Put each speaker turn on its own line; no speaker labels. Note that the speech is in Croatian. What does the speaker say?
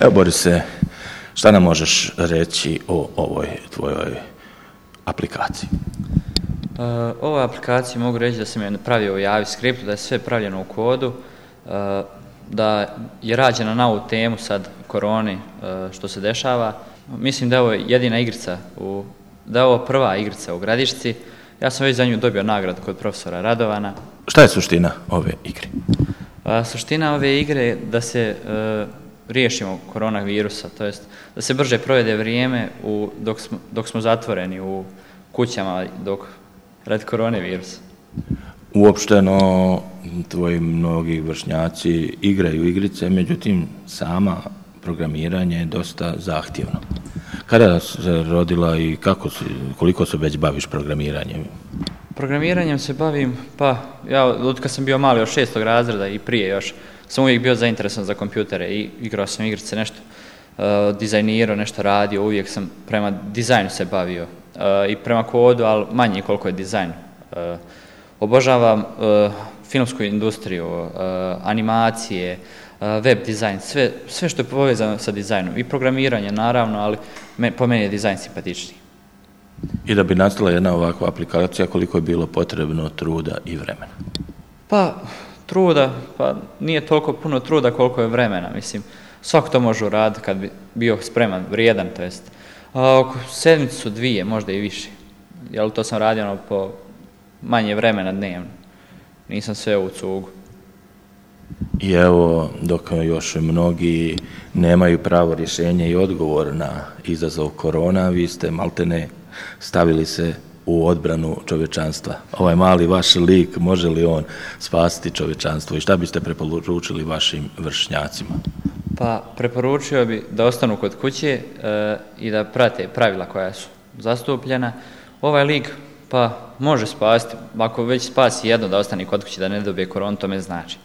Evo Borise, šta nam možeš reći o ovoj tvojoj aplikaciji?
Ovoj aplikaciji mogu reći da sam je napravio u JavaScriptu, da je sve pravljeno u kodu, da je rađena na ovu temu sad koroni što se dešava. Mislim da je ovo jedina igrica, da je ovo prva igrica u Gradišci. Ja sam već za nju dobio nagradu kod profesora Radovana.
Šta je suština ove igre?
Suština ove igre je da se riješimo koronavirusa, to jest da se brže provede vrijeme dok smo zatvoreni u kućama radi koronavirusa.
Uopšteno, tvoji mnogi vršnjaci igraju igrice, međutim, sama programiranje je dosta zahtjevno. Kada se rodila i koliko se već baviš programiranjem?
Programiranjem se bavim, pa ja od kad sam bio mali, od 6. razreda i prije još, sam uvijek bio zainteresovan za kompjutere i igrao sam igrice, nešto dizajnirao, nešto radio, uvijek sam prema dizajnu se bavio i prema kodu, ali manje koliko je dizajn. Obožavam filmsku industriju, animacije, web dizajn, sve što je povezano sa dizajnom i programiranje naravno, ali po meni je dizajn simpatičniji.
I da bi nastala jedna ovakva aplikacija, koliko je bilo potrebno truda i vremena?
Pa nije toliko puno truda koliko je vremena, mislim. Svako to može uraditi kad bi bio spreman, vrijedan, to jest. Oko sedmicu, dvije, možda i više. Jer to sam radio po manje vremena dnevno. Nisam sve u cugu.
I evo, dok još mnogi nemaju pravo rješenje i odgovor na izazov korona, vi ste maltene stavili se u odbranu čovječanstva. Ovaj mali vaš lik, može li on spasiti čovječanstvo i šta biste preporučili vašim vršnjacima?
Pa preporučio bi da ostanu kod kuće i da prate pravila koja su zastupljena. Ovaj lik pa može spasiti, ako već spasi jedno da ostane kod kuće da ne dobije koronu, to me znači.